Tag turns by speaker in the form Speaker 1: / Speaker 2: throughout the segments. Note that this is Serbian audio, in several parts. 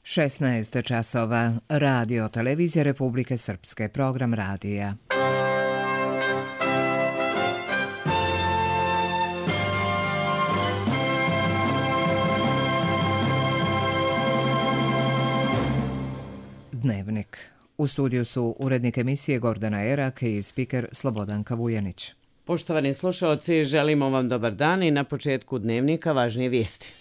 Speaker 1: 16 časova. Radio Televizija Republike Srpske. Program radija. Dnevnik. U studiju su urednik emisije Gordana Erak i spiker Slobodanka Vujanić.
Speaker 2: Poštovani slušalci, želimo vam dobar dan i na početku dnevnika važnije vijesti.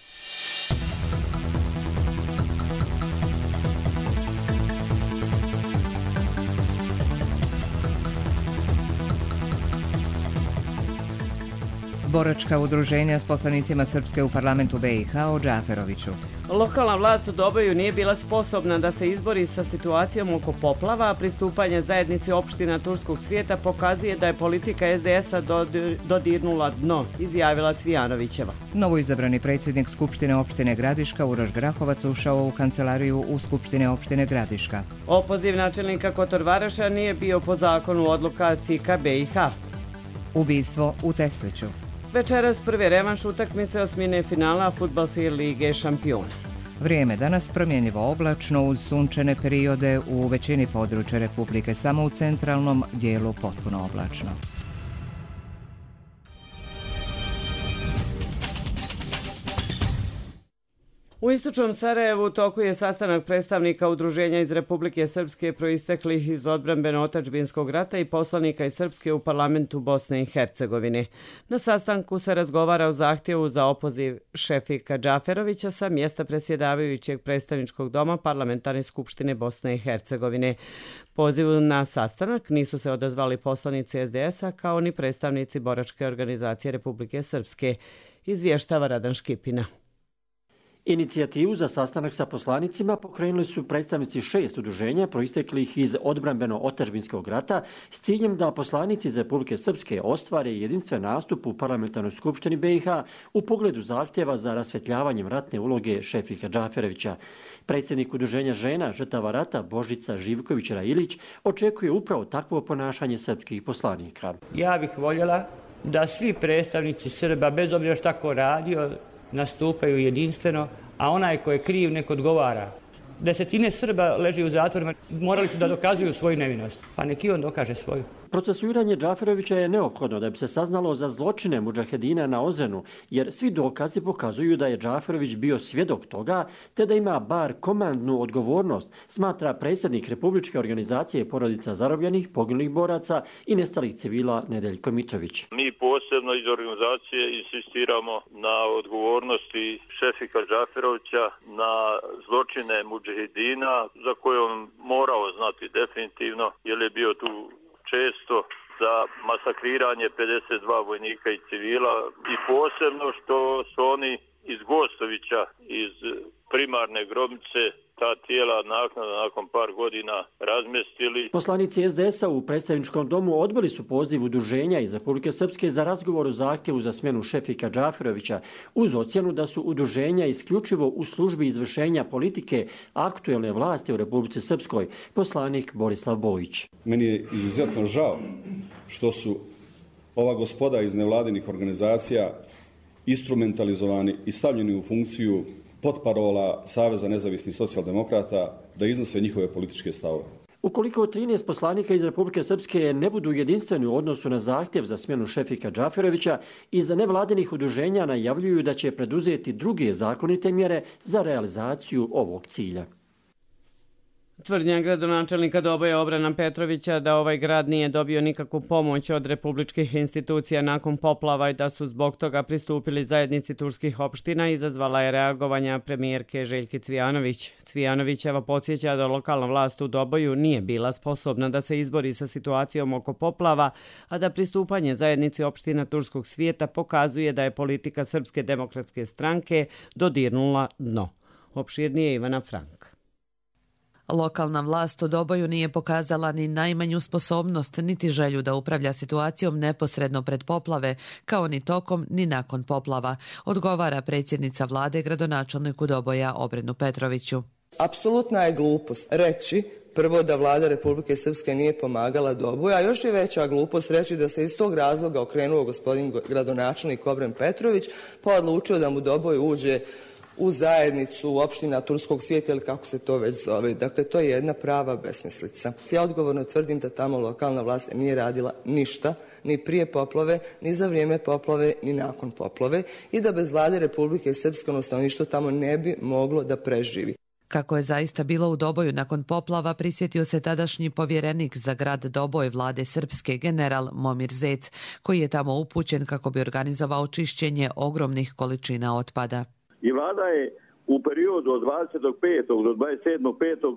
Speaker 1: Boračka udruženja s poslanicima Srpske u parlamentu BiH o Džaferoviću.
Speaker 2: Lokalna vlast u Doboju nije bila sposobna da se izbori sa situacijom oko poplava, a pristupanje zajednici opština turskog svijeta pokazuje da je politika SDS-a dodirnula dno, izjavila Cvijanovićeva.
Speaker 1: Novoizabrani predsjednik Skupštine opštine Gradiška Uroš Grahovac ušao u kancelariju u Skupštine opštine Gradiška.
Speaker 2: Opoziv načelnika Kotorvaraša nije bio po zakonu odluka CIK-a BiH.
Speaker 1: Ubistvo u Tesliću.
Speaker 2: Večeras prvi revanš utakmice osmine finala Fudbalske lige šampiona.
Speaker 1: Vrijeme danas promjenjivo oblačno uz sunčane periode u većini područja Republike, samo u centralnom dijelu potpuno oblačno.
Speaker 2: U istočnom Sarajevu u toku je sastanak predstavnika udruženja iz Republike Srpske proisteklih iz odbrambeno-otadžbinskog rata i poslanika iz Srpske u parlamentu Bosne i Hercegovine. Na sastanku se razgovara o zahtjevu za opoziv Šefika Džaferovića sa mjesta predsjedavajućeg predstavničkog doma Parlamentarne skupštine Bosne i Hercegovine. Pozivu na sastanak nisu se odazvali poslanici SDS-a kao ni predstavnici Boračke organizacije Republike Srpske, izvještava Radan Škipina.
Speaker 3: Inicijativu za sastanak sa poslanicima pokrenuli su predstavnici 6 udruženja proisteklih iz odbrambeno-otadžbinskog rata s ciljem da poslanici iz Republike Srpske ostvare jedinstven nastup u Parlamentarnoj skupštini BiH u pogledu zahtjeva za rasvjetljavanjem ratne uloge Šefika Džaferovića. Predsjednik udruženja žena žrtava rata Božica Živković-Railić očekuje upravo takvo ponašanje srpskih poslanika.
Speaker 4: Ja bih voljela da svi predstavnici Srba, bez obzira šta ko radio, nastupaju jedinstveno, a onaj ko je kriv nek odgovara. Desetine Srba leži u zatvorima, morali su da dokazuju svoju nevinost, pa nek i on dokaže svoju.
Speaker 3: Procesuiranje Džaferovića je neophodno da bi se saznalo za zločine mudžahedina na Ozrenu, jer svi dokazi pokazuju da je Džaferović bio svjedok toga, te da ima bar komandnu odgovornost, smatra predsjednik Republičke organizacije porodica zarobljenih, poginulih boraca i nestalih civila Nedeljko Mitrović.
Speaker 5: Mi posebno iz organizacije insistiramo na odgovornosti Šefika Džaferovića na zločine mudžahedina, za koje on morao znati definitivno, jer je bio tu često za masakriranje 52 vojnika i civila, i posebno što su oni iz Gostovića, iz primarne grobnice, ta tijela nakon par godina razmjestili.
Speaker 3: Poslanici SDS-a u predstavničkom domu odbili su poziv udruženja iz Republike Srpske za razgovor o zahtjevu za smjenu Šefika Džaferovića uz ocjenu da su udruženja isključivo u službi izvršenja politike aktuelne vlasti u Republici Srpskoj, poslanik Borislav Bojić.
Speaker 6: Meni je izuzetno žao što su ova gospoda iz nevladinih organizacija instrumentalizovani i stavljeni u funkciju potparola Saveza nezavisnih socijaldemokrata da iznose njihove političke stavove.
Speaker 3: Ukoliko 13 poslanika iz Republike Srpske ne budu jedinstveni u odnosu na zahtjev za smjenu Šefika Džaferovića, iz nevladinih udruženja najavljuju da će preduzeti druge zakonite mjere za realizaciju ovog cilja.
Speaker 2: Tvrdnja gradonačelnika Doboja Obrana Petrovića da ovaj grad nije dobio nikakvu pomoć od republičkih institucija nakon poplava i da su zbog toga pristupili zajednici turskih opština izazvala je reagovanja premijerke Željke Cvijanović. Cvijanovićeva podsjeća da lokalna vlast u Doboju nije bila sposobna da se izbori sa situacijom oko poplava, a da pristupanje zajednici opština turskog svijeta pokazuje da je politika Srpske demokratske stranke dodirnula dno. Opširnije Ivana Frank.
Speaker 7: Lokalna vlast u Doboju nije pokazala ni najmanju sposobnost niti želju da upravlja situacijom neposredno pred poplave, kao ni tokom ni nakon poplava, odgovara predsjednica vlade gradonačelniku Doboja Obrenu Petroviću.
Speaker 8: Apsolutna je glupost reći prvo da vlada Republike Srpske nije pomagala Doboju, a još je veća glupost reći da se iz tog razloga okrenuo gospodin gradonačelnik Obren Petrović pa odlučio da mu Doboj uđe u zajednicu opština Turskog svijeta ili kako se to već zove. Dakle, to je jedna prava besmislica. Ja odgovorno tvrdim da tamo lokalna vlast nije radila ništa, ni prije poplave, ni za vrijeme poplave, ni nakon poplave i da bez vlade Republike Srpske stanovništvo tamo ne bi moglo da preživi.
Speaker 7: Kako je zaista bilo u Doboju nakon poplava, prisjetio se tadašnji povjerenik za grad Doboj vlade Srpske, general Momir Zec, koji je tamo upućen kako bi organizovao čišćenje ogromnih količina otpada.
Speaker 9: I vlada je u periodu od 25. do 27.5.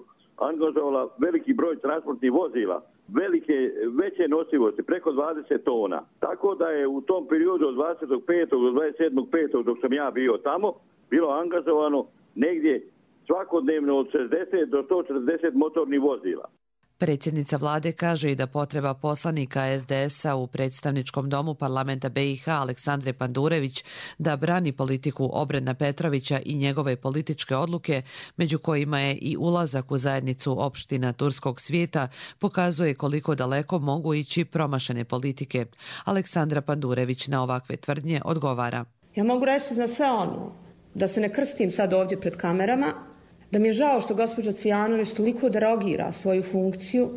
Speaker 9: angažovala veliki broj transportnih vozila, veće nosivosti, preko 20 tona. Tako da je u tom periodu od 25. do 27.5. dok sam ja bio tamo, bilo angažovano negdje svakodnevno od 60 do 140 motornih vozila.
Speaker 7: Predsjednica vlade kaže i da potreba poslanika SDS-a u predstavničkom domu parlamenta BiH Aleksandre Pandurević da brani politiku Obrena Petrovića i njegove političke odluke, među kojima je i ulazak u zajednicu opština Turskog svijeta, pokazuje koliko daleko mogu ići promašene politike. Aleksandra Pandurević na ovakve tvrdnje odgovara.
Speaker 10: Ja mogu reći za sve ono, da se ne krstim sad ovdje pred kamerama, da mi je žao što gospođa Cvijanović toliko derogira svoju funkciju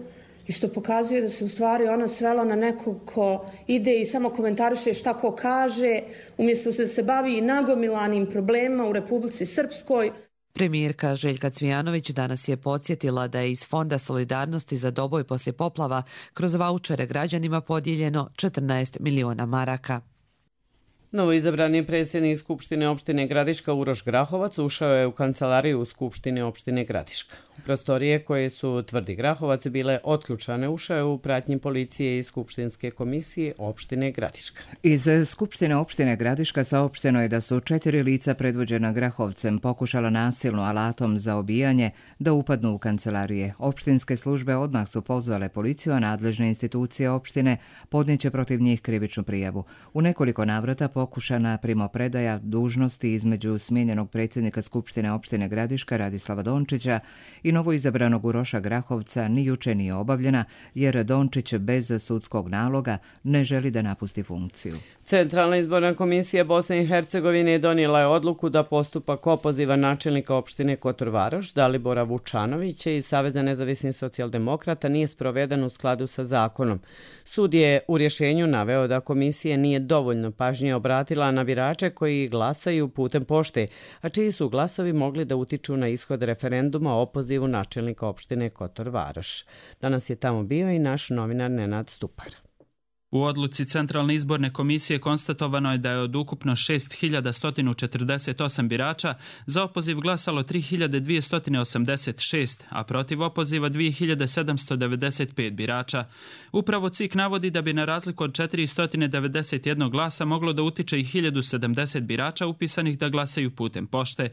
Speaker 10: i što pokazuje da se u stvari ona svela na nekog ko ide i samo komentariše šta ko kaže, umjesto da se bavi nagomilanim problemima u Republici Srpskoj.
Speaker 7: Premijerka Željka Cvijanović danas je podsjetila da je iz Fonda solidarnosti za Doboj poslije poplava kroz vaučere građanima podijeljeno 14 miliona maraka.
Speaker 2: Novoizabrani predsjednik Skupštine opštine Gradiška Uroš Grahovac ušao je u kancelariju Skupštine opštine Gradiška. U prostorije koje su, tvrdi Grahovac, bile otključane, ušao je u pratnji policije i Skupštinske komisije opštine Gradiška.
Speaker 1: Iz Skupštine opštine Gradiška saopšteno je da su 4 lica predvođena Grahovcem pokušala nasilno alatom za obijanje da upadnu u kancelarije. Opštinske službe odmah su pozvale policiju, a nadležne institucije opštine podnijeće protiv njih krivičnu prijavu. U nekoliko navrata pokušana primopredaja dužnosti između smijenjenog predsjednika Skupštine opštine Gradiška Radislava Dončića i novoizabranog Uroša Grahovca ni juče nije obavljena, jer Dončić bez sudskog naloga ne želi da napusti funkciju.
Speaker 2: Centralna izborna komisija Bosne i Hercegovine donijela je odluku da postupak opoziva načelnika opštine Kotor Varoš, Dalibora Vučanovića iz Saveza nezavisnih socijaldemokrata nije sproveden u skladu sa zakonom. Sud je u rješenju naveo da komisija nije dovoljno pažnje obratila na birače koji glasaju putem pošte, a čiji su glasovi mogli da utiču na ishod referenduma o opozivu načelnika opštine Kotor Varoš. Danas je tamo bio i naš novinar Nenad Stupar.
Speaker 11: U odluci Centralne izborne komisije konstatovano je da je od ukupno 6.148 birača za opoziv glasalo 3.286, a protiv opoziva 2.795 birača. Upravo CIK navodi da bi na razliku od 491 glasa moglo da utiče i 1.070 birača upisanih da glasaju putem pošte.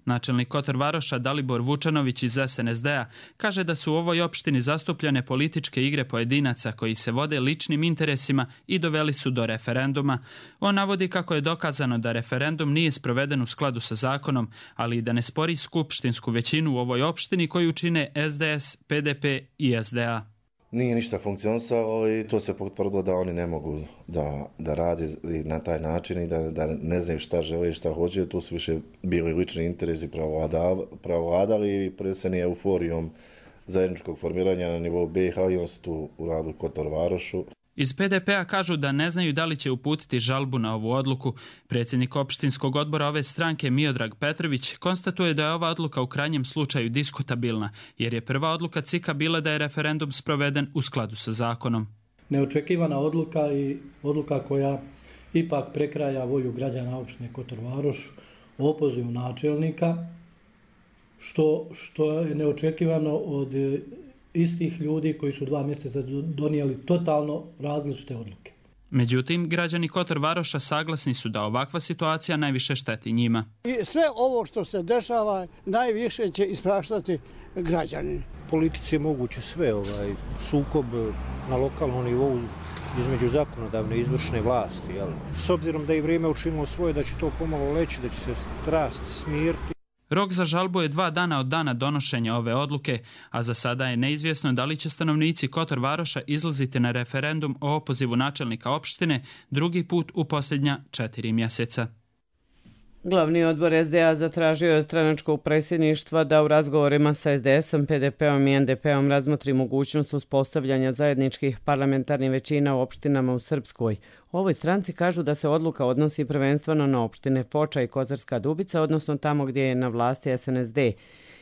Speaker 11: Načelnik Kotor Varoša Dalibor Vučanović iz SNSD-a kaže da su u ovoj opštini zastupljene političke igre pojedinaca koji se vode ličnim interesima i doveli su do referenduma. On navodi kako je dokazano da referendum nije sproveden u skladu sa zakonom, ali i da ne spori skupštinsku većinu u ovoj opštini koju čine SDS, PDP i SDA.
Speaker 12: Nije ništa funkcionisalo i to se potvrdilo da oni ne mogu da rade na taj način i da ne znaju šta žele i šta hoće. Tu su više bili lični interesi pravovladali i preseni euforijom zajedničkog formiranja na nivou BiH i on su tu uradili Kotor Varošu.
Speaker 11: Iz PDP-a kažu da ne znaju da li će uputiti žalbu na ovu odluku. Predsjednik opštinskog odbora ove stranke Miodrag Petrović konstatuje da je ova odluka u krajnjem slučaju diskutabilna, jer je prva odluka CIK-a bila da je referendum sproveden u skladu sa zakonom.
Speaker 13: Neočekivana odluka i odluka koja ipak prekraja volju građana opštine Kotor Varoš o opozivu načelnika, što je neočekivano od istih ljudi koji su 2 mjeseca donijeli totalno različite odluke.
Speaker 11: Međutim, građani Kotor Varoša saglasni su da ovakva situacija najviše šteti njima.
Speaker 14: I sve ovo što se dešava najviše će ispraštati građani.
Speaker 15: Politici je moguće sve, sukob na lokalnom nivou između zakonodavne i izvršne vlasti. S obzirom da je vrijeme učinilo svoje, da će to pomalo leći, da će se strast smiriti.
Speaker 11: Rok za žalbu je 2 dana od dana donošenja ove odluke, a za sada je neizvjesno da li će stanovnici Kotor Varoša izlaziti na referendum o opozivu načelnika opštine drugi put u posljednja 4 mjeseca.
Speaker 2: Glavni odbor SDA zatražio je stranačkog predsjedništva da u razgovorima sa SDS-om, PDP-om i NDP-om razmotri mogućnost uspostavljanja zajedničkih parlamentarnih većina u opštinama u Srpskoj. U ovoj stranci kažu da se odluka odnosi prvenstveno na opštine Foča i Kozarska Dubica, odnosno tamo gdje je na vlasti SNSD.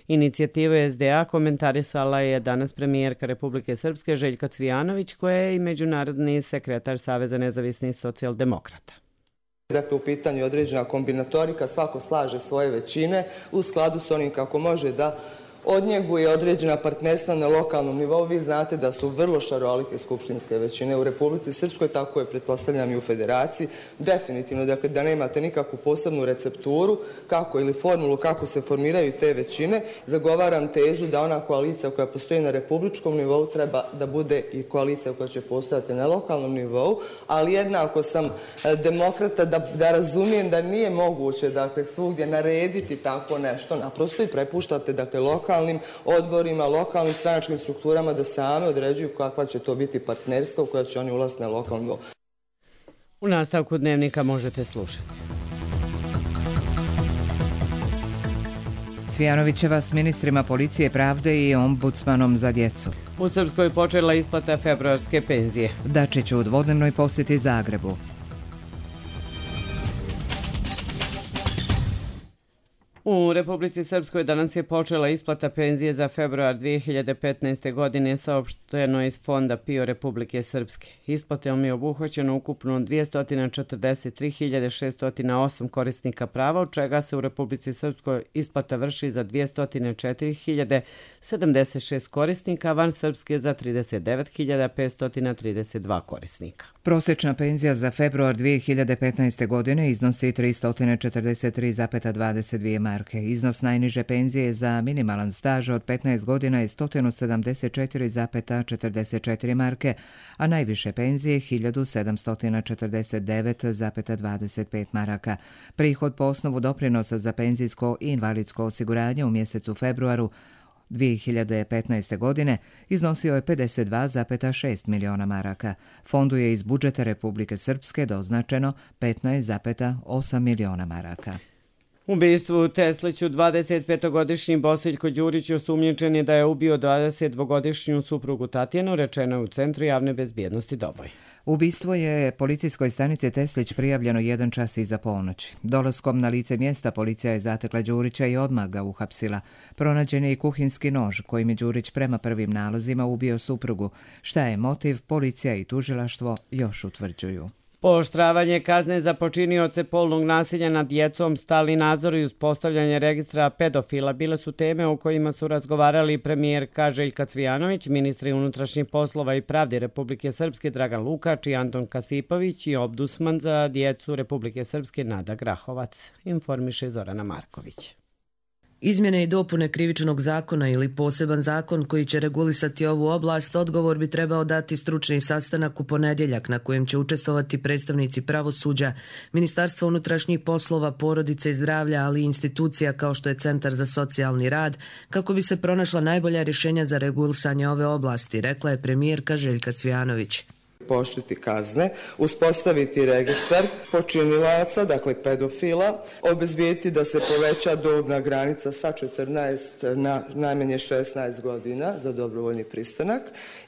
Speaker 2: Inicijative SDA komentarisala je danas premijerka Republike Srpske Željka Cvijanović, koja je i međunarodni sekretar Saveza nezavisnih socijaldemokrata.
Speaker 8: Dakle, u pitanju je određena kombinatorika, svako slaže svoje većine u skladu s onim kako može da odnjeguje određena partnerstva na lokalnom nivou. Vi znate da su vrlo šarolike skupštinske većine u Republici Srpskoj, tako je pretpostavljam i u Federaciji. Definitivno, dakle, da nemate nikakvu posebnu recepturu kako ili formulu kako se formiraju te većine. Zagovaram tezu da ona koalicija koja postoji na republičkom nivou treba da bude i koalicija koja će postojati na lokalnom nivou, ali jednako sam demokrata da razumijem da nije moguće, dakle, svugdje narediti tako nešto, naprosto i prepuštate, dakle, lokalnim odborima, lokalnim stranačkim strukturama da same određuju kakva će to biti partnerstva u koja će oni ulaziti na lokalnom nivou.
Speaker 2: U nastavku dnevnika možete slušati.
Speaker 1: Cvijanovićeva s ministrima policije, pravde i ombudsmanom za djecu.
Speaker 2: U Srpskoj počela isplata februarske penzije.
Speaker 1: Dačić u dvodnevnoj posjeti Zagrebu.
Speaker 2: U Republici Srpskoj danas je počela isplata penzije za februar 2015. godine, saopšteno iz Fonda PIO Republike Srpske. Isplatom je obuhvaćeno ukupno 243.608 korisnika prava, od čega se u Republici Srpskoj isplata vrši za 204.076 korisnika, van Srpske za 39.532 korisnika.
Speaker 1: Prosječna penzija za februar 2015. godine iznosi 343,22 marke. Iznos najniže penzije za minimalan staž od 15 godina je 174,44 marke, a najviše penzije 1.749,25 maraka. Prihod po osnovu doprinosa za penzijsko i invalidsko osiguranje u mjesecu februaru 2015. godine iznosio je 52,6 miliona maraka. Fondu je iz budžeta Republike Srpske doznačeno 15,8 miliona maraka.
Speaker 2: U ubistvu u Tesliću 25-godišnji Bosiljko Đurić osumnjičen je da je ubio 22-godišnju suprugu Tatjanu, rečeno je u Centru javne bezbjednosti Doboj.
Speaker 1: Ubistvo je policijskoj stanici Teslić prijavljeno 1 čas iza ponoći. Dolaskom na lice mjesta policija je zatekla Đurića i odmah ga uhapsila. Pronađen je i kuhinski nož kojim je Đurić prema prvim nalozima ubio suprugu. Šta je motiv, policija i tužilaštvo još utvrđuju.
Speaker 2: Pooštravanje kazne za počinioce polnog nasilja nad djecom, stalni nadzor i uspostavljanje registra pedofila bile su teme o kojima su razgovarali premijerka Željka Cvijanović, ministri unutrašnjih poslova i pravde Republike Srpske Dragan Lukač i Anton Kasipović i ombudsman za djecu Republike Srpske Nada Grahovac, informiše Zorana Marković.
Speaker 7: Izmjene i dopune krivičnog zakona ili poseban zakon koji će regulisati ovu oblast, odgovor bi trebao dati stručni sastanak u ponedjeljak na kojem će učestvovati predstavnici pravosuđa, Ministarstva unutrašnjih poslova, porodice i zdravlja, ali i institucija kao što je Centar za socijalni rad, kako bi se pronašla najbolja rješenja za regulisanje ove oblasti, rekla je premijerka Željka Cvijanović.
Speaker 8: Pooštriti kazne, uspostaviti registar počinilaca, dakle pedofila, obezbijeti da se poveća dobna granica sa 14 na najmanje 16 godina za dobrovoljni pristanak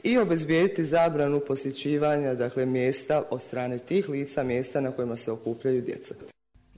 Speaker 8: i obezbijeti zabranu posjećivanja, dakle, mjesta od strane tih lica, mjesta na kojima se okupljaju djeca.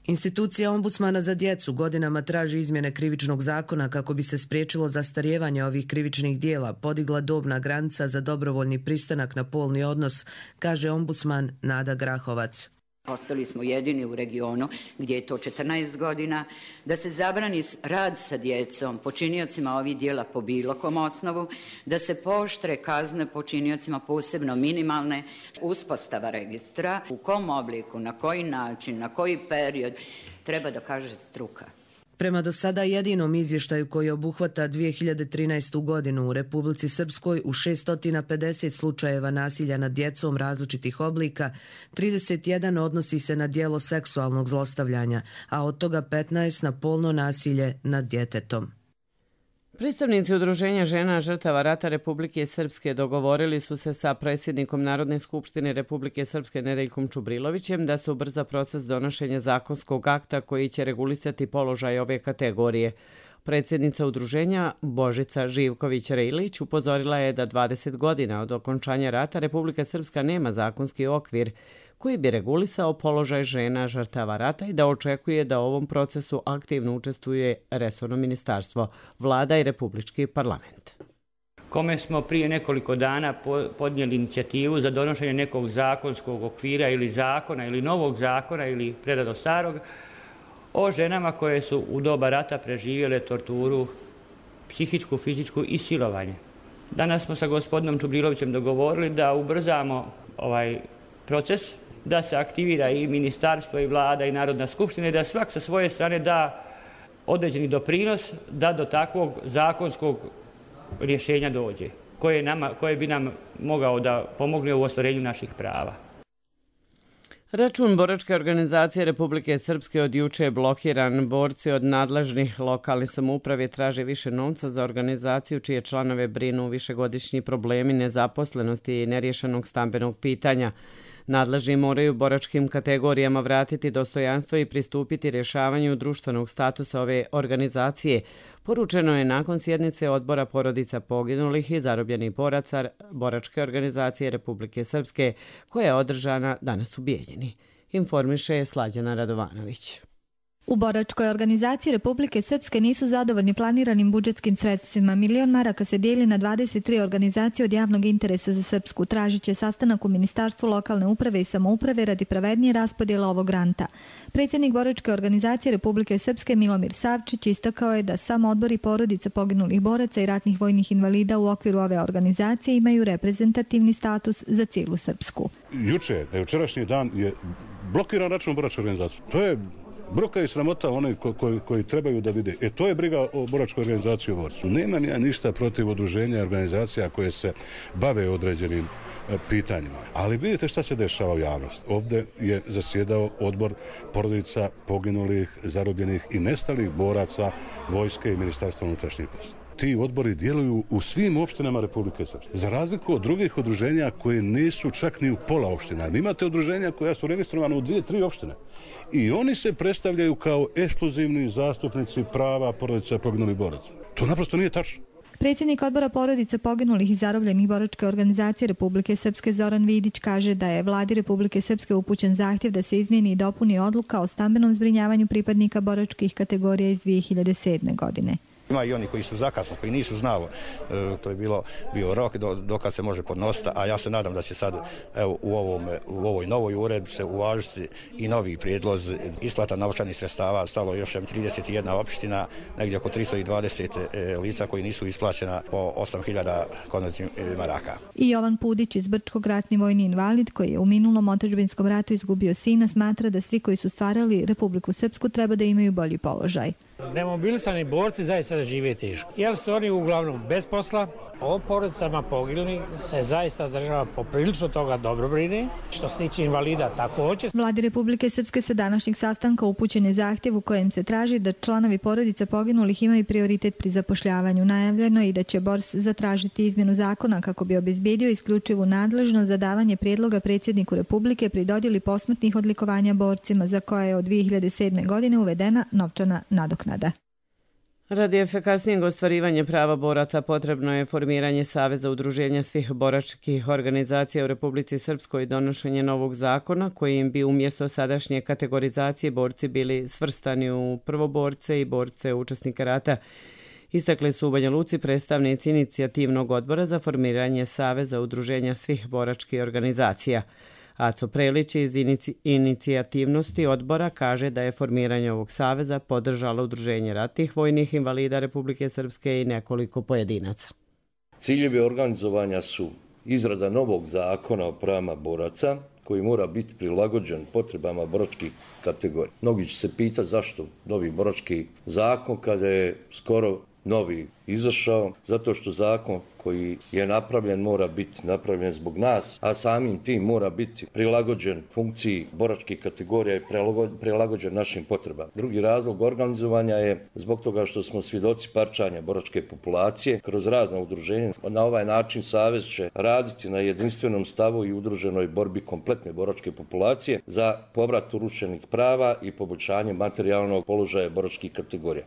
Speaker 7: Institucija ombudsmana za djecu godinama traži izmjene krivičnog zakona kako bi se spriječilo zastarijevanje ovih krivičnih dijela, podigla dobna granica za dobrovoljni pristanak na polni odnos, kaže ombudsman Nada Grahovac.
Speaker 16: Ostali smo jedini u regionu gdje je to 14 godina, da se zabrani rad sa djecom, počiniocima ovih dijela po bilo kom osnovu, da se pooštre kazne počiniocima, posebno minimalne, uspostava registra, u kom obliku, na koji način, na koji period, treba da kaže struka.
Speaker 7: Prema do sada jedinom izvještaju koji obuhvata 2013. godinu u Republici Srpskoj u 650 slučajeva nasilja nad djecom različitih oblika, 31 odnosi se na djelo seksualnog zlostavljanja, a od toga 15 na polno nasilje nad djetetom.
Speaker 2: Predstavnici Udruženja žena žrtava rata Republike Srpske dogovorili su se sa predsjednikom Narodne skupštine Republike Srpske Nedeljkom Čubrilovićem da se ubrza proces donošenja zakonskog akta koji će regulisati položaj ove kategorije. Predsjednica udruženja Božica Živković-Rejlić upozorila je da 20 godina od okončanja rata Republika Srpska nema zakonski okvir koji bi regulisao položaj žena žrtava rata i da očekuje da u ovom procesu aktivno učestvuje resorno ministarstvo, vlada i republički parlament.
Speaker 4: Kome smo prije nekoliko dana podnijeli inicijativu za donošenje nekog zakonskog okvira ili zakona ili novog zakona ili prerado starog o ženama koje su u doba rata preživjele torturu, psihičku, fizičku i silovanje. Danas smo sa gospodinom Čubrilovićem dogovorili da ubrzamo ovaj proces, da se aktivira i ministarstvo i vlada i Narodna skupština i da svak sa svoje strane da određeni doprinos da do takvog zakonskog rješenja dođe, koje bi nam mogao da pomogne u ostvarenju naših prava.
Speaker 2: Račun boračke organizacije Republike Srpske od juče je blokiran. Borci od nadležnih lokalnih samouprave traže više novca za organizaciju čije članove brinu višegodišnji problemi nezaposlenosti i neriješenog stambenog pitanja. Nadležni moraju boračkim kategorijama vratiti dostojanstvo i pristupiti rješavanju društvenog statusa ove organizacije. Poručeno je nakon sjednice odbora porodica poginulih i zarobljenih boraca boračke organizacije Republike Srpske koja je održana danas u Bijeljini. Informiše Slađana Radovanović.
Speaker 17: U boračkoj organizaciji Republike Srpske nisu zadovoljni planiranim budžetskim sredstvima. 1.000.000 maraka se dijeli na 23 organizacije od javnog interesa za Srpsku. Tražit će sastanak u Ministarstvu lokalne uprave i samouprave radi pravednije raspodjela ovog granta. Predsjednik boračke organizacije Republike Srpske Milomir Savčić istakao je da sam odbor i porodica poginulih boraca i ratnih vojnih invalida u okviru ove organizacije imaju reprezentativni status za cijelu Srpsku.
Speaker 18: Jučerašnji dan je blokiran račun boračke organizacije. To je bruka i sramota one koji trebaju da vide. To je briga o boračkoj organizaciji u borcu. Nemam ja ništa protiv udruženja i organizacija koje se bave određenim pitanjima. Ali vidite šta se dešava u javnosti. Ovdje je zasjedao odbor porodica poginulih, zarobljenih i nestalih boraca vojske i Ministarstva unutrašnjih poslova. Ti odbori djeluju u svim opštinama Republike Srpske. Za razliku od drugih udruženja koje nisu čak ni u pola opština. Imate udruženja koja su registrovane u 2-3 opštine. I oni se predstavljaju kao ekskluzivni zastupnici prava porodica poginulih boraca. To naprosto nije tačno.
Speaker 17: Predsjednik odbora porodica poginulih i zarobljenih boračke organizacije Republike Srpske Zoran Vidić kaže da je vladi Republike Srpske upućen zahtjev da se izmijeni i dopuni odluka o stambenom zbrinjavanju pripadnika boračkih kategorija iz 2007. godine.
Speaker 19: Ima i oni koji su zakasno, koji nisu znali, to je bio rok dokad se može podnositi, a ja se nadam da će sad u ovoj novoj uredbi se uvažiti i novi prijedlozi isplata novčanih sredstava. Stalo još 31 opština, negdje oko 320 lica koji nisu isplaćena po 8.000 konvertnih maraka.
Speaker 17: I Jovan Pudić iz Brčkog, ratni vojni invalid koji je u minulom otadžbinskom ratu izgubio sina, smatra da svi koji su stvarali Republiku Srpsku treba da imaju bolji položaj.
Speaker 20: Nemobilisani borci zaista da žive teško, jer su oni uglavnom bez posla. O porodicama poginulih se zaista država poprilično toga dobro brine. Što se tiče invalida također.
Speaker 17: Vladi Republike Srpske sa današnjeg sastanka upućen je zahtjev u kojem se traži da članovi porodica poginulih imaju prioritet pri zapošljavanju. Najavljeno je i da će BORS zatražiti izmjenu zakona kako bi obezbijedio isključivu nadležnost za davanje prijedloga predsjedniku Republike pri dodjeli posmrtnih odlikovanja borcima za koje je od 2007. godine uvedena novčana nadoknada.
Speaker 2: Radi efikasnijeg ostvarivanja prava boraca potrebno je formiranje Saveza udruženja svih boračkih organizacija u Republici Srpskoj i donošenje novog zakona kojim bi umjesto sadašnje kategorizacije borci bili svrstani u prvoborce i borce učesnika rata. Istakli su u Banja Luci predstavnici inicijativnog odbora za formiranje Saveza udruženja svih boračkih organizacija. Aco Prelić iz inicijativnosti odbora kaže da je formiranje ovog saveza podržalo Udruženje ratnih vojnih invalida Republike Srpske i nekoliko pojedinaca.
Speaker 21: Ciljevi organizovanja su izrada novog zakona o pravima boraca koji mora biti prilagođen potrebama boračkih kategorija. Mnogi će se pitati zašto novi borački zakon kada je skoro novi izašao, zato što zakon koji je napravljen mora biti napravljen zbog nas, a samim tim mora biti prilagođen funkciji boračkih kategorija i prilagođen našim potrebama. Drugi razlog organizovanja je zbog toga što smo svjedoci parčanja boračke populacije kroz razna udruženja. Na ovaj način Savez će raditi na jedinstvenom stavu i udruženoj borbi kompletne boračke populacije za povrat urušenih prava i poboljšanje materijalnog položaja boračkih kategorija.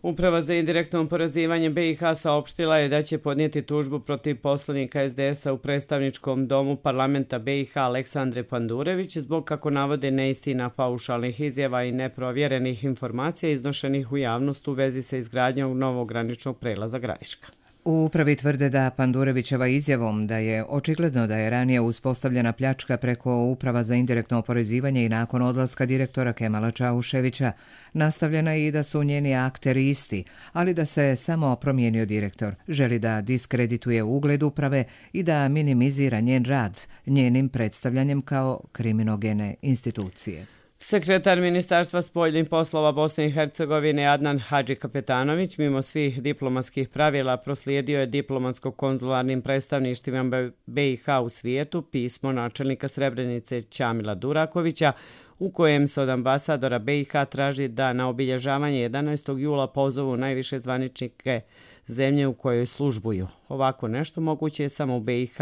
Speaker 2: Uprava za indirektno oporezivanje BiH saopštila je da će podnijeti tužbu protiv poslanika SDS-a u predstavničkom domu parlamenta BiH Aleksandre Pandurević zbog, kako navode, neistina, paušalnih izjava i neprovjerenih informacija iznošenih u javnost u vezi sa izgradnjom novog graničnog prelaza Gradiška.
Speaker 1: U upravi tvrde da Pandurevićeva izjavom da je očigledno da je ranije uspostavljena pljačka preko Uprava za indirektno oporezivanje i nakon odlaska direktora Kemala Čauševića nastavljena i da su njeni akteri isti, ali da se samo promijenio direktor. Želi da diskredituje ugled uprave i da minimizira njen rad, njenim predstavljanjem kao kriminogene institucije.
Speaker 2: Sekretar Ministarstva spoljnih poslova Bosne i Hercegovine Adnan Hadžikapetanović mimo svih diplomatskih pravila proslijedio je diplomatsko-konzularnim predstavništvima BiH u svijetu pismo načelnika Srebrenice Ćamila Durakovića u kojem se od ambasadora BiH traži da na obilježavanje 11. jula pozovu najviše zvaničnike zemlje u kojoj službuju. Ovako nešto moguće je samo u BiH,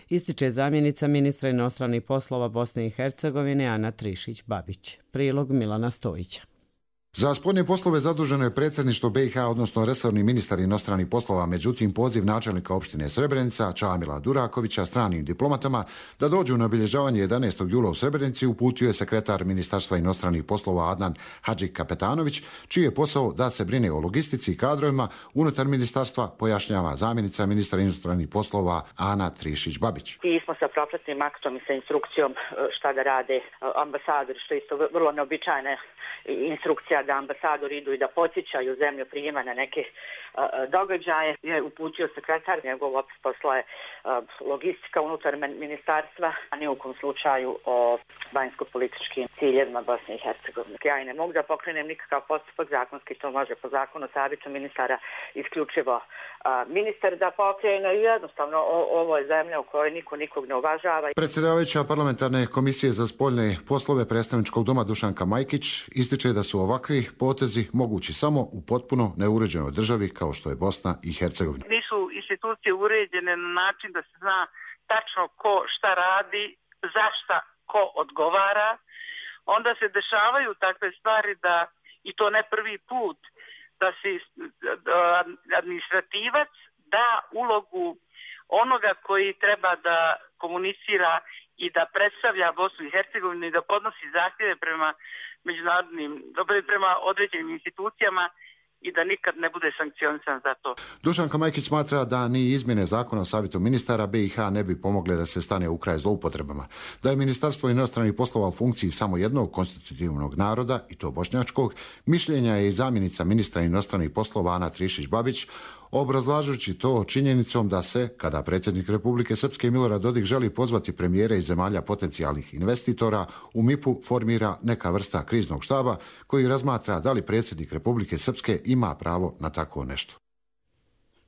Speaker 2: ističe zamjenica ministra inostranih poslova Bosne i Hercegovine Ana Trišić-Babić. Prilog Milana Stojića.
Speaker 5: Za spoljne poslove zaduženo je predsjedništvo BiH, odnosno resorni ministar inostranih poslova, međutim poziv načelnika opštine Srebrenica Ćamila Durakovića stranim diplomatama da dođu na obilježavanje 11. jula u Srebrenici uputio je sekretar Ministarstva inostranih poslova Adnan Hadžikapetanović, čiji je posao da se brine o logistici i kadrovima unutar ministarstva, pojašnjava zamjenica ministra inostranih poslova Ana Trišić-Babić.
Speaker 22: Pismo sa propratnim aktom i sa instrukcijom šta da rade ambasadori, što je isto vrlo neobičajna instrukcija da ambasadori idu i da podsjećaju zemlju prijema na neke događaje. Je uputio sekretar, njegov opis posla je logistika unutar ministarstva, a ni u kom slučaju o vanjsko-političkim ciljevima Bosne i Hercegovine. Ja i ne mogu da pokrenem nikakav postupak zakonski, to može po zakonu savjetu ministara isključivo ministar da pokrene. Jednostavno ovo je zemlja u kojoj niko nikog ne uvažava.
Speaker 5: Predsjedavajuća parlamentarne komisije za spoljne poslove predstavničkog doma Dušanka Majkić ističe da su ovakvi potezi mogući samo u potpuno neuređenoj državi kao što je Bosna i Hercegovina.
Speaker 23: Nisu institucije uređene na način da se zna tačno ko šta radi, za šta ko odgovara. Onda se dešavaju takve stvari da, i to ne prvi put, da se administrativac da ulogu onoga koji treba da komunicira i da predstavlja Bosnu i Hercegovinu i da podnosi zahtjeve prema međunarodnim, prema određenim institucijama i da nikad ne bude sankcionisan za to.
Speaker 5: Dušanka Majkić smatra da ni izmjene zakona o savjetu ministara BiH ne bi pomogle da se stane u kraj zloupotrebama. Da je Ministarstvo inostranih poslova u funkciji samo jednog konstitutivnog naroda, i to bošnjačkog, mišljenja je i zamjenica ministra inostranih poslova Ana Trišić-Babić, obrazlažući to činjenicom da se, kada predsjednik Republike Srpske Milorad Dodik želi pozvati premijere iz zemalja potencijalnih investitora, u MIP-u formira neka vrsta kriznog štaba koji razmatra da li predsjednik Republike Srpske ima pravo na tako nešto.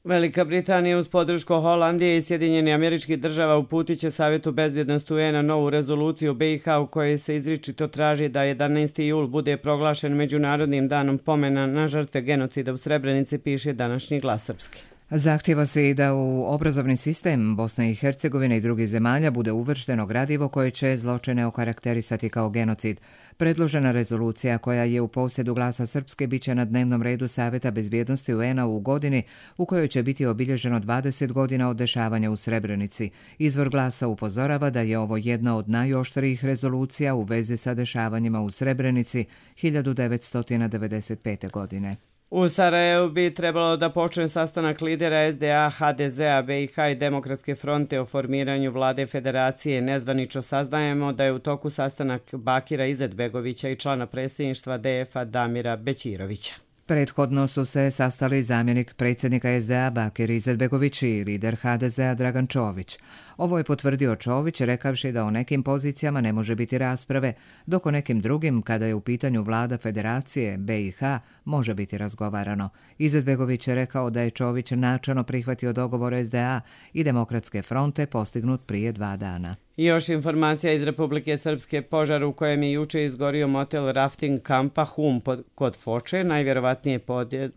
Speaker 2: Velika Britanija uz podršku Holandije i Sjedinjenih Američkih Država uputit će Savjetu bezbjednosti UN-a novu rezoluciju BiH u kojoj se izričito traži da 11. jul bude proglašen Međunarodnim danom pomena na žrtve genocida u Srebrenici, piše današnji Glas Srpski.
Speaker 1: Zahtjeva se i da u obrazovni sistem Bosne i Hercegovine i drugih zemalja bude uvršteno gradivo koje će zločine okarakterisati kao genocid. Predložena rezolucija koja je u posjedu Glasa Srpske biće na dnevnom redu Savjeta bezbjednosti UN-a u godini u kojoj će biti obilježeno 20 godina od dešavanja u Srebrenici. Izvor Glasa upozorava da je ovo jedna od najoštrijih rezolucija u vezi sa dešavanjima u Srebrenici 1995. godine.
Speaker 2: U Sarajevu bi trebalo da počne sastanak lidera SDA, HDZ-a, BiH i Demokratske fronte o formiranju vlade federacije. Nezvanično saznajemo da je u toku sastanak Bakira Izetbegovića i člana predsjedništva DF-a Damira Bećirovića.
Speaker 1: Prethodno su se sastali zamjenik predsjednika SDA Bakir Izetbegović i lider HDZ-a Dragan Čović. Ovo je potvrdio Čović rekavši da o nekim pozicijama ne može biti rasprave, dok o nekim drugim, kada je u pitanju vlada Federacije BiH, može biti razgovarano. Izetbegović je rekao da je Čović načelno prihvatio dogovor SDA i Demokratske fronte postignut prije 2 dana.
Speaker 2: Još informacija iz Republike Srpske. Požar u kojem je juče izgorio motel rafting kampa Hum kod Foče, najvjerovatnije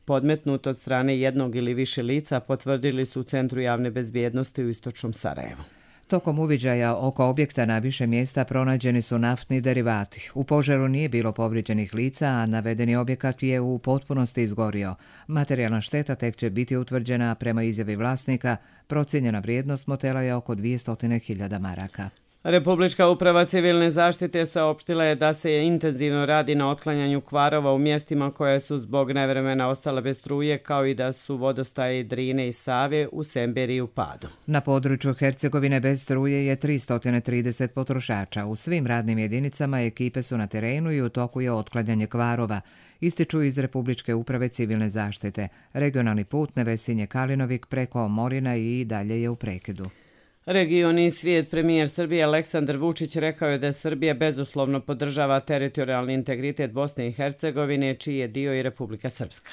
Speaker 2: podmetnut od strane jednog ili više lica, potvrdili su u Centru javne bezbjednosti u istočnom Sarajevu.
Speaker 1: Tokom uviđaja oko objekta na više mjesta pronađeni su naftni derivati. U požaru nije bilo povrijeđenih lica, a navedeni objekat je u potpunosti izgorio. Materijalna šteta tek će biti utvrđena, prema izjavi vlasnika. Procijenjena vrijednost motela je oko 200.000 maraka.
Speaker 2: Republička uprava civilne zaštite saopštila je da se intenzivno radi na otklanjanju kvarova u mjestima koje su zbog nevremena ostale bez struje, kao i da su vodostaji Drine i Save u Semberiji u padu.
Speaker 1: Na području Hercegovine bez struje je 330 potrošača. U svim radnim jedinicama ekipe su na terenu i u toku je otklanjanje kvarova, ističu iz Republičke uprave civilne zaštite. Regionalni put Nevesinje-Kalinovik preko Morina i dalje je u prekidu.
Speaker 2: Region i svijet. Premijer Srbije Aleksandar Vučić rekao je da Srbija bezuslovno podržava teritorijalni integritet Bosne i Hercegovine, čiji je dio i Republika Srpska.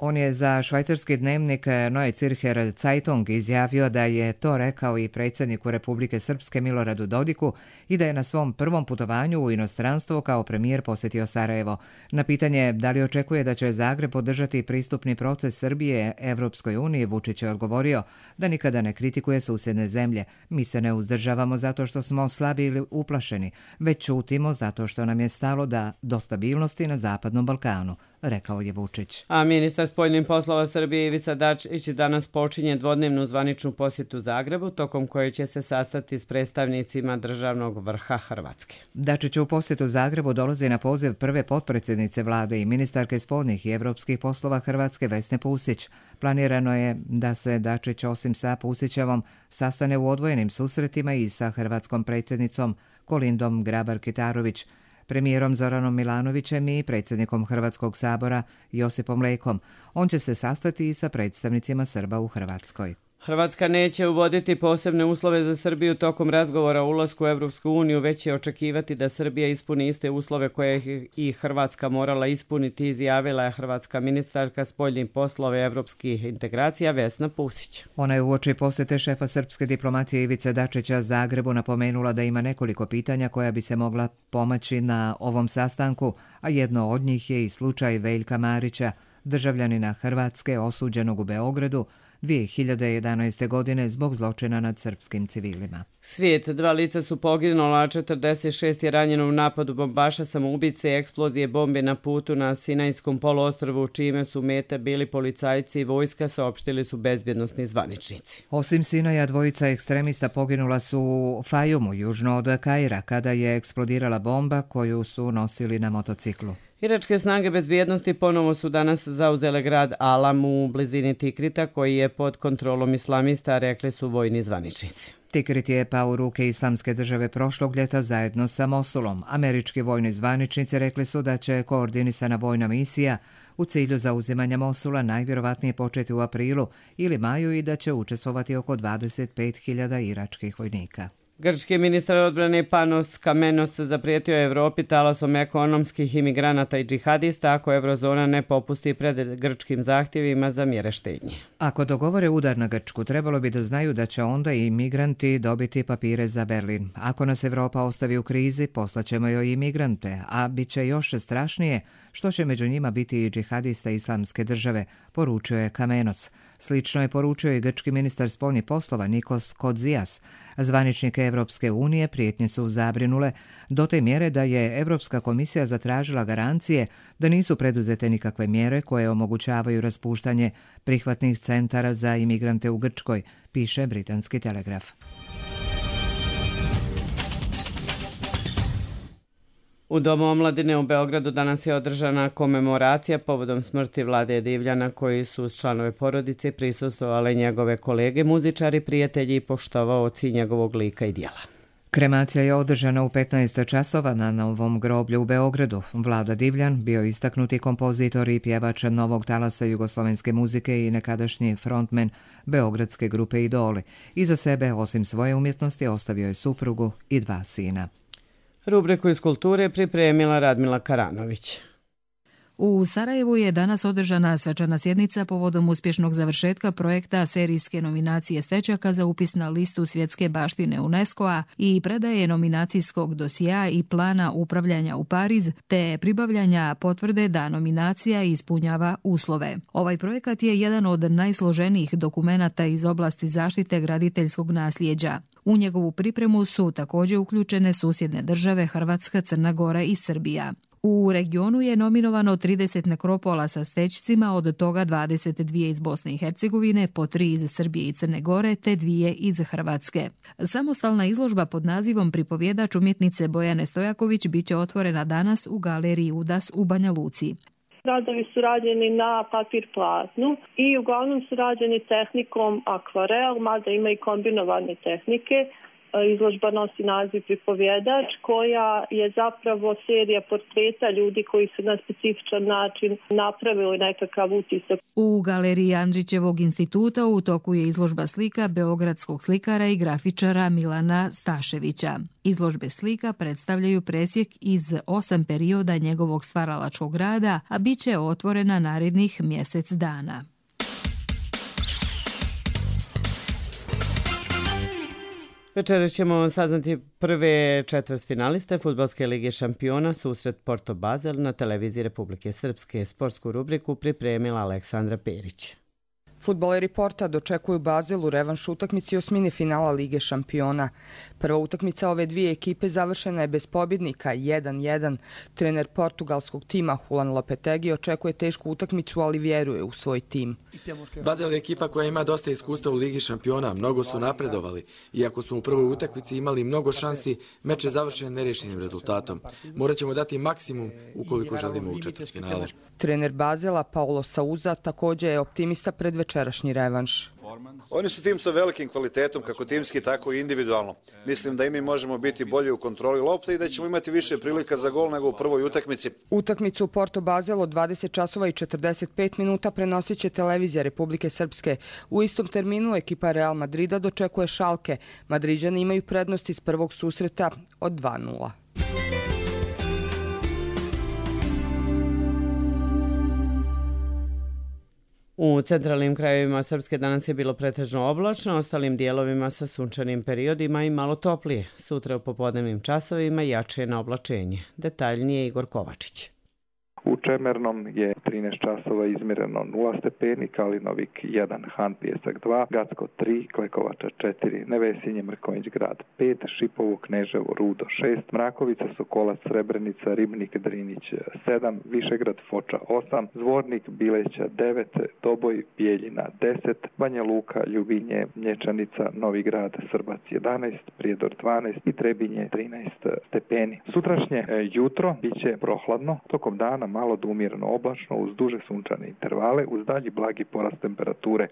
Speaker 1: On je za švajcarski dnevnik Neue Zürcher Zeitung izjavio da je to rekao i predsjedniku Republike Srpske Miloradu Dodiku i da je na svom prvom putovanju u inostranstvo kao premijer posjetio Sarajevo. Na pitanje da li očekuje da će Zagreb podržati pristupni proces Srbije Evropskoj uniji, Vučić je odgovorio da nikada ne kritikuje susjedne zemlje. Mi se ne uzdržavamo zato što smo slabi ili uplašeni, već ćutimo zato što nam je stalo do stabilnosti na Zapadnom Balkanu, rekao je Vučić.
Speaker 2: A ministar spoljnih poslova Srbije Ivica Dačić danas počinje dvodnevnu zvaničnu posjetu Zagrebu, tokom koje će se sastati s predstavnicima državnog vrha Hrvatske.
Speaker 1: Dačić u posjetu Zagrebu dolazi na poziv prve potpredsjednice vlade i ministarke spoljnih i evropskih poslova Hrvatske Vesne Pusić. Planirano je da se Dačić osim sa Pusićevom sastane u odvojenim susretima i sa hrvatskom predsjednicom Kolindom Grabar-Kitarović, premijerom Zoranom Milanovićem i predsjednikom Hrvatskog sabora Josipom Lekom. On će se sastati i sa predstavnicima Srba u Hrvatskoj.
Speaker 2: Hrvatska neće uvoditi posebne uslove za Srbiju tokom razgovora o ulasku u Evropsku uniju, već će očekivati da Srbija ispuni iste uslove koje je i Hrvatska morala ispuniti, izjavila je hrvatska ministarka spoljnih poslova i evropskih integracija Vesna Pusić.
Speaker 1: Ona je uoči posjete šefa srpske diplomatije Ivice Dačića Zagrebu napomenula da ima nekoliko pitanja koja bi se mogla pomaći na ovom sastanku, a jedno od njih je i slučaj Veljka Marića, državljanina Hrvatske osuđenog u Beogradu 2011. godine zbog zločina nad srpskim civilima.
Speaker 2: Svijet. 2 lica su poginula, a 46 je ranjeno u napadu bombaša samoubice i eksplozije bombe na putu na Sinajskom poluostrvu, čime su mete bili policajci i vojska, saopštili su bezbjednosni zvaničnici.
Speaker 1: Osim Sinaja, 2 ekstremista poginula su u Fajumu, južno od Kaira, kada je eksplodirala bomba koju su nosili na motociklu.
Speaker 2: Iračke snage bezbjednosti ponovo su danas zauzele grad Alam u blizini Tikrita, koji je pod kontrolom islamista, rekli su vojni zvaničnici.
Speaker 1: Tikrit je pao u ruke Islamske države prošlog ljeta zajedno sa Mosulom. Američki vojni zvaničnici rekli su da će koordinisana vojna misija u cilju zauzimanja Mosula najvjerovatnije početi u aprilu ili maju i da će učestvovati oko 25.000 iračkih vojnika.
Speaker 2: Grčki ministar odbrane Panos Kamenos zaprijetio je Evropi talasom ekonomskih imigranata i džihadista ako Eurozona ne popusti pred grčkim zahtjevima za mjere štednje.
Speaker 1: Ako dogovore udar na Grčku, trebalo bi da znaju da će onda i migranti dobiti papire za Berlin. Ako nas Evropa ostavi u krizi, poslaćemo joj i migrante, a bit će još strašnije što će među njima biti i džihadista Islamske države, poručio je Kamenos. Slično je poručio i grčki ministar spoljnih poslova Nikos Kodzias. Zvaničnike Evropske unije prijetnje su zabrinule do te mjere da je Evropska komisija zatražila garancije da nisu preduzete nikakve mjere koje omogućavaju raspuštanje prihvatnih centara za imigrante u Grčkoj, piše britanski Telegraf.
Speaker 2: U Domu omladine u Beogradu danas je održana komemoracija povodom smrti Vlade Divljana, koji su uz članove porodice prisustvovali njegove kolege, muzičari, prijatelji i poštovaoci njegovog lika i djela.
Speaker 1: Kremacija je održana u 15 časova na Novom groblju u Beogradu. Vlada Divljan, bio istaknuti kompozitor i pjevač novog talasa jugoslovenske muzike i nekadašnji frontmen beogradske grupe Idoli. Iza sebe, osim svoje umjetnosti, ostavio je suprugu i 2 sina.
Speaker 2: Rubriku iz kulture pripremila Radmila Karanović.
Speaker 3: U Sarajevu je danas održana svečana sjednica povodom uspješnog završetka projekta serijske nominacije stečaka za upis na listu svjetske baštine UNESCO-a i predaje nominacijskog dosjea i plana upravljanja u Pariz, te pribavljanja potvrde da nominacija ispunjava uslove. Ovaj projekat je jedan od najsloženijih dokumenata iz oblasti zaštite graditeljskog nasljeđa. U njegovu pripremu su također uključene susjedne države Hrvatska, Crna Gora i Srbija. U regionu je nominovano 30 nekropola sa stećcima, od toga 22 iz Bosne i Hercegovine, po 3 iz Srbije i Crne Gore, te 2 iz Hrvatske. Samostalna izložba pod nazivom Pripovjedač umjetnice Bojane Stojaković biće otvorena danas u galeriji Udas u Banja Luci.
Speaker 6: Radovi su rađeni na papir plazmu i uglavnom su rađeni tehnikom akvarel, mada ima i kombinovane tehnike. Izložba nosi naziv Pripovjedač, koja je zapravo serija portreta ljudi koji su na specifičan način napravili nekakav utisak.
Speaker 3: U galeriji Andrićevog instituta u toku je izložba slika beogradskog slikara i grafičara Milana Staševića. Izložbe slika predstavljaju presjek iz 8 perioda njegovog stvaralačkog rada, a bit će otvorena narednih mjesec dana.
Speaker 2: Večeras ćemo saznati prve četvrtfinaliste Fudbalske lige šampiona, susret Porto Basel na televiziji Republike Srpske. Sportsku rubriku pripremila Aleksandra Perić.
Speaker 9: Fudbaleri Porta dočekuju Basel u revanš utakmici osmine finala Lige šampiona. Prva utakmica ove dvije ekipe završena je bez pobjednika 1-1. Trener portugalskog tima Juan Lopetegui očekuje tešku utakmicu, ali vjeruje u svoj tim.
Speaker 24: Basel je ekipa koja ima dosta iskustva u Ligi šampiona, mnogo su napredovali. Iako su u prvoj utakmici imali mnogo šansi, meč je završen nerešenim rezultatom. Morat ćemo dati maksimum ukoliko želimo u četvrtfinale.
Speaker 9: Trener Basela Paulo Souza također je optimista pred večerašnji revanš.
Speaker 25: Oni su tim sa velikim kvalitetom, kako timski, tako i individualno. Mislim da i mi možemo biti bolji u kontroli lopte i da ćemo imati više prilika za gol nego u prvoj utakmici.
Speaker 9: Utakmicu Porto Basel od 20 časova i 45 minuta prenosit će televizija Republike Srpske. U istom terminu ekipa Real Madrida dočekuje Šalke. Madriđani imaju prednost iz prvog susreta od 2-0.
Speaker 2: U centralnim krajevima Srpske danas je bilo pretežno oblačno, ostalim dijelovima sa sunčanim periodima i malo toplije. Sutra u popodnevnim časovima jače na oblačenje. Detaljnije Igor Kovačić.
Speaker 26: U Čemernom je 13 časova izmjereno 0 stepeni, Kalinovik 1, Han Pijesak 2, Gacko 3, Klekovača 4, Nevesinje, Mrkonjić grad 5, Šipovo, Kneževo, Rudo 6, Mrakovica, Sokolac, Srebrenica, Ribnik, Drinić 7, Višegrad, Foča 8, Zvornik, Bileća 9, Doboj, Bijeljina 10, Banja Luka, Ljubinje, Mlječanica, Novi grad, Srbac 11, Prijedor 12 i Trebinje 13 stepeni. Sutrašnje jutro biće prohladno, tokom dana malo do umjereno oblačno uz duže sunčane intervale uz dalji blagi porast temperature.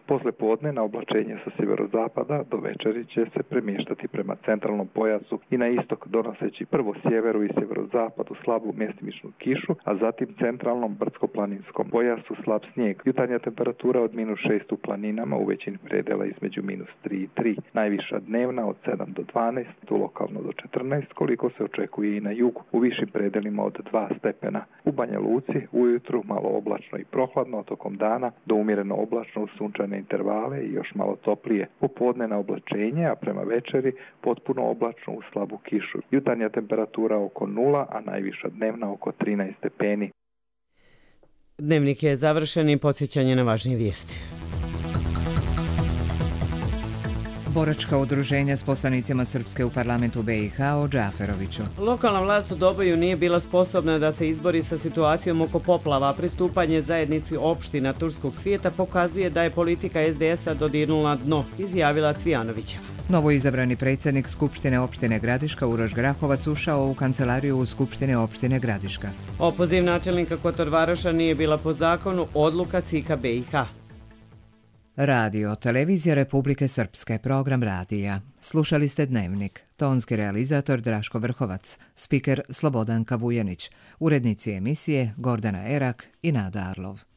Speaker 26: Posle podne na oblačenje sa sjeverozapada do večeri će se premještati prema centralnom pojasu i na istok, donoseći prvo sjeveru i sjeverozapadu slabu mjestimičnu kišu, a zatim centralnom brdsko-planinskom pojasu slab snijeg. Jutarnja temperatura od -6 u planinama, u većini predela između -3 i 3. Najviša dnevna od 7 do 12, tu lokalno do 14, koliko se očekuje i na jugu, u višim predelima od 2 stepena. U Banja Luci ujutru malo oblačno i prohladno, tokom dana do umjereno oblačno uz sunčane intervale i još malo toplije. Popodne na oblačenje, a prema večeri potpuno oblačno uz slabu kišu. Jutarnja temperatura oko 0, a najviša dnevna oko 13 stepeni.
Speaker 2: Dnevnik je završen i podsjećanje na važnije vijesti.
Speaker 1: Boračka udruženja s poslanicima Srpske u parlamentu BiH o Džaferoviću.
Speaker 2: Lokalna vlast u Doboju nije bila sposobna da se izbori sa situacijom oko poplava. Pristupanje zajednici opština turskog svijeta pokazuje da je politika SDS-a dodirnula dno, izjavila Cvijanovićeva.
Speaker 1: Novo izabrani predsjednik Skupštine opštine Gradiška Uroš Grahovac ušao u kancelariju u Skupštine opštine Gradiška.
Speaker 2: Opoziv načelnika Kotor Varoša nije bila po zakonu, odluka CIK BiH.
Speaker 1: Radio, televizija Republike Srpske, program radija. Slušali ste Dnevnik. Tonski realizator Draško Vrhovac, spiker Slobodanka Vujanić, urednici emisije Gordana Erak i Nada Arlov.